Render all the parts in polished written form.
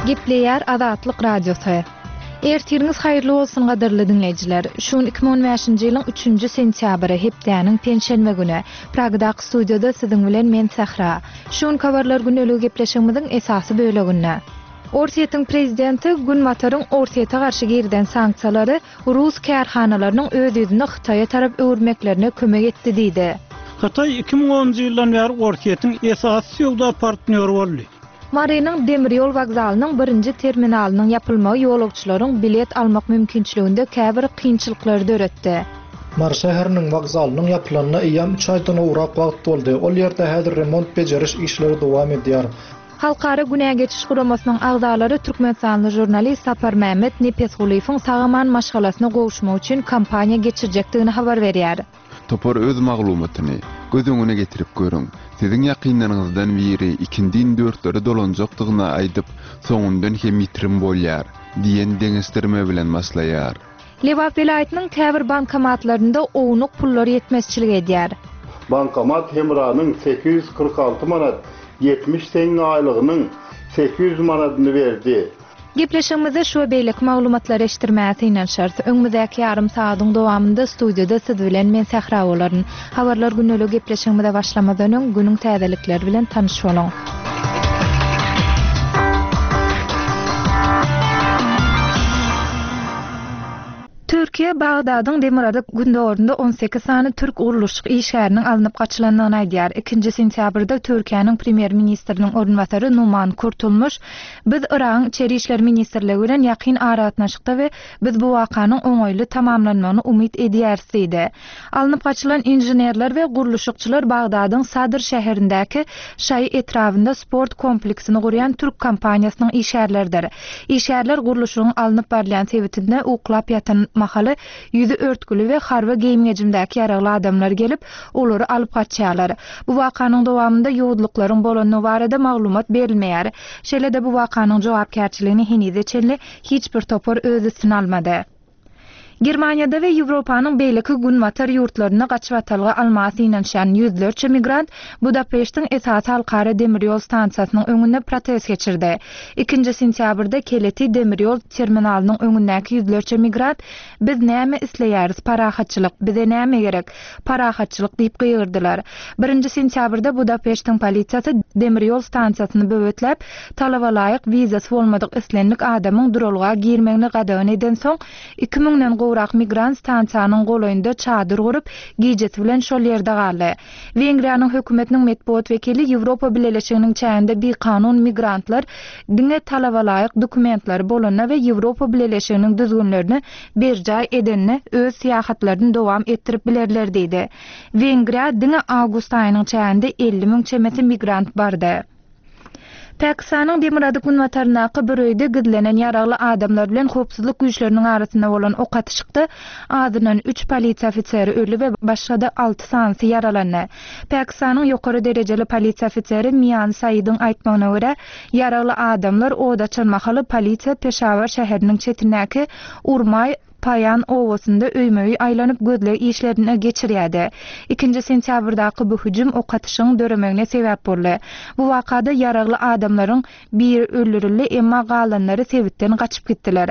Gepleýär Azatlyk Radiosy. Ertiriňiz haýyrly bolsun gadyrly diňleýjiler. Şu gün 2015-nji ýylyň üçünji sentýabry, hepdäniň penşenbe güni. Pragadaky studiýada siziň bilen men Sähra. Şu günki habarlar gündeligi gepleşigimiziň esasy böleginde. Orsýetiň prezidenti Günbataryň Orsýete garşy girizen sanksiýalary rus kärhanalarynyň öz ýüzüni Hytaýa tarap öwürmeklerine kömek etdi diýdi. Hytaý 2010-njy ýyldan bäri Orsýetiň esasy söwda partnýory boldy. Marynyň demir ýol wokzalynyň birinji terminalynyň ýapylmagy ýolagçylaryň bilet almak mümkinçiliginde käbir kynçylyklary döretdi. Mary şäheriniň wokzalynyň ýapylanyna eýýäm üç aýdan gowrak wagt boldy. Ol ýerde häzir remont-bejeriş işleri dowam edýär. Halkara günä geçiş guramasynyň agzalary türkmenistanly žurnalist Saparmämmet Nepesgulyýewiň sag-aman maşgalasyna gowuşmak üçin kampaniýa geçirjekdigini habar berýär. Topar öz maglumatyny göz öňüne getirip görüň. Siziň ýakynlaryňyzdan biri ikindin dörtlere dolanjakdygyny aýdyp, soňundan hem ýitirim bolýar diýen deňeşdirme bilen başlaýar. Lebap welaýatynyň käbir bankomatlarynda ownuk pullar ýetmezçilik edýär. Bankomat Hemranyň 846 manat 70 teňňe aýlygynyň 800 manadyny berdi. Gepleşigimizde şu we beýleki maglumatlary eşitdirmäge synanyşarys. Öňümizdäki ýarym sagadyň dowamynda studiýada siz bilen men Sähra bolaryn. Habarlar gündeligi gepleşigimize başlamazdan öň günüň täzelikleri bilen tanyş boluň. Türkiýe Bagdadyň demirgazyk-gündogarynda 18 sany türk gurluşyk işgäriniň alnyp gaçylandygyny aýdýar. Ikinji sentýabrda Türkiýäniň premýer-ministriniň orunbasary Numan Kurtulmuş, Biz Yragyň Içeri işler ministrligi bilen ýakyn aragatnaşykda we biz bu wakanyň oňaýly tamamlanmagyny umyt edýäris diýdi. Alnyp gaçylan inženerler we gurluşykçylar Bagdadyň Sadr şäherindäki Şaýy etrabynda sport kompleksini gurýan türk kompaniýasynyň işgärleridir. Işgärler gurluşygyň alnyp barylýan sebitinde uklap ýatan mahaly ýüzi örtgüli we harby geýim-gejimdäki ýaragly adamlar gelip, olary alyp gaçýarlar. Bu wakanyň dowamynda ýowuzlyklaryň bolandygy barada maglumat berilmeýär. Şeýle-de bu wakanyň jogapkärçiligini henize çenli hiç bir topar öz üstüne almady. Germaniýada we Ýewropanyň beýleki günbatar ýurtlarynda gaçybatalga almaga synanyşýan ýüzlerçe migrant Budapeştiň esasy halkara demir ýol stansiýasynyň öňünde protest geçirdi. Ikinji sentýabrda Keleti demir ýol terminalynyň öňündäki ýüzlerçe migrant Biz näme isleýäris, parahatçylyk, bize näme gerek? Parahatçylyk diýip gygyrdylar. Birinji sentýabrda Budapeştiň polisiýasy demir ýol stansiýasyny böwetläp, talaba laýyk wizasy bolmadyk islendik adamyň duralga girmegini gadagan edensoň, iki müňden gowrak migrant stansiýanyň golaýynda çadyr gurup, gijesi bilen şol ýerde galdy. Wengriýanyň hökümetiniň metbugat wekili Ýewropa Bileleşiginiň çäginde bikanun migrantlar diňe talaba laýyk dokumentleri bolanda we Ýewropa Bileleşiginiň düzgünlerini berjaý edende öz syýahatlaryny dowam etdirip bilerler diýdi. Wengriýa diňe awgust aýynyň çäginde 50 müň çemesi migrant bardy. Pakistanyň demirgazyk-günbataryndaky bir öýde gizlenen ýaragly adamlar bilen howpsuzlyk güýçleriniň arasynda bolan ok atyşykda azyndan üç polisiýa ofiseri öldi we başga-da alty sanysy ýaralandy. Pakistanyň ýokary derejeli polisiýa ofiseri Mian Saidiň aýtmagyna görä, ýaragly adamlar od açan mahaly polisiýa Peşawar şäheriniň çetindäki Urmaý Paýan obasynda öýme-öý aýlanyp gözleg işlerini geçirýärdi. Ikinji sentýabrdaky bu hüjüm ok atyşygyň döremegine sebäp boldy. Bu wakada ýaragly adamlaryň biri öldürildi, emma galanlary sebitden gaçyp gitdiler.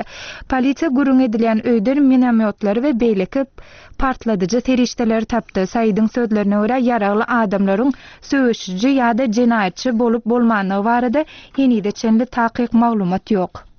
Polisiýa gürrüň edilýän öýden minomýotlary we beýleki partladyjy serişdeleri tapdy. Saidiň sözlerine görä, ýaragly adamlaryň söweşiji ýa-da jenaýatçy bolup-bolmandygy barada henize çenli takyk maglumat ýok.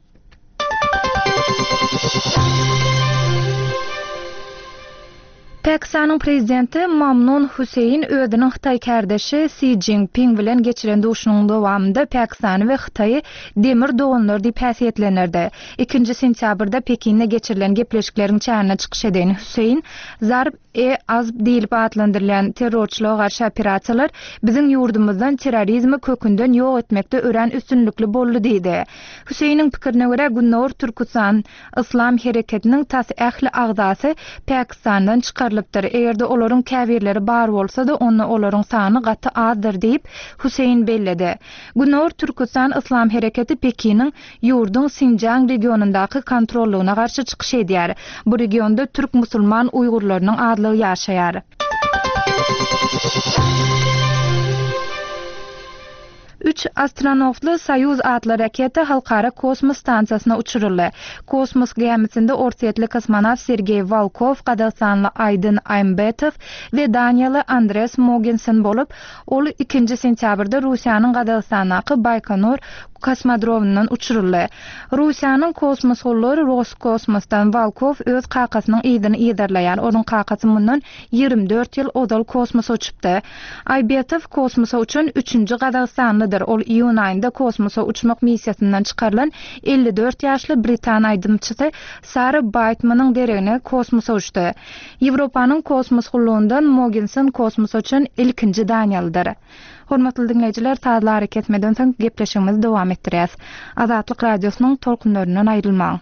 Pakistanyň prezidenti Mamnun Huseýn özüniň hytaý kärdeşi Si Jinping bilen geçiren duşuşygynyň dowamynda Pakistany we Hytaýy demir doganlar diýip häsiýetlendirdi. Ikinji sentýabrda Pekinde geçirilen gepleşikleriň çäginde çykyş eden Huseýn Zarb E-Azb diýlip atlandyrylýan terrorçylyga garşy operasiýalar biziň ýurdumyzdan terrorizmi kökünden ýok etmekde örän üstünlikli boldy diýdi. Hüseýiniň pikirine görä, Gündogar Türküstan Yslam hereketiniň tas ähli agzasy Pakistandan çykarylypdyr. Eger-de olaryň käbirleri bar bolsa-da, onda olaryň sany gaty azdyr diýip, Hüseýin belledi. Gündogar Türküstan Yslam hereketi Pekiniň ýurduň Sinjiang regionyndaky kontrollygyna garşy çykyş edýär. Bu regionda türk musulman uýgurlarynyň azlygy ýaşaýar. Üç astronawtly Soýuz atly raketa Halkara kosmos stansiýasyna uçuryldy. Kosmos gämisinde orsýetli kosmonawt Sergeý Wolkow, gazagystanly Aýdyn Aýmbetow we daniýaly Andres Mogensen bolup, ol ikinji sentýabrda Russiýanyň Gazagystandaky Baýkonur kosmodromyndan uçuryldy. Russiýanyň kosmos gullugy Roskosmosdan Wolkow öz kakasynyň yzyny yzarlaýar. Onuň kakasy mundan 24 ýyl ozal kosmosa uçupdy. Aýbetow kosmosa uçan üçünji gazagystanlydyr. Ol iýun aýynda kosmosa uçmak missiýasyndan çykarylan 54 ýaşly britan aýdymçysy Sara Baýtmanyň deregine kosmosa uçdy. Ýewropanyň kosmos gullugyndan Mogensen kosmosa uçan ilkinji daniýalydyr. Hormatly diňleýjiler, sazly arakesmeden soň gepleşigimizi dowam etdirýäs. Azatlyk Radiosynyň tolkunlaryndan aýrylmaň.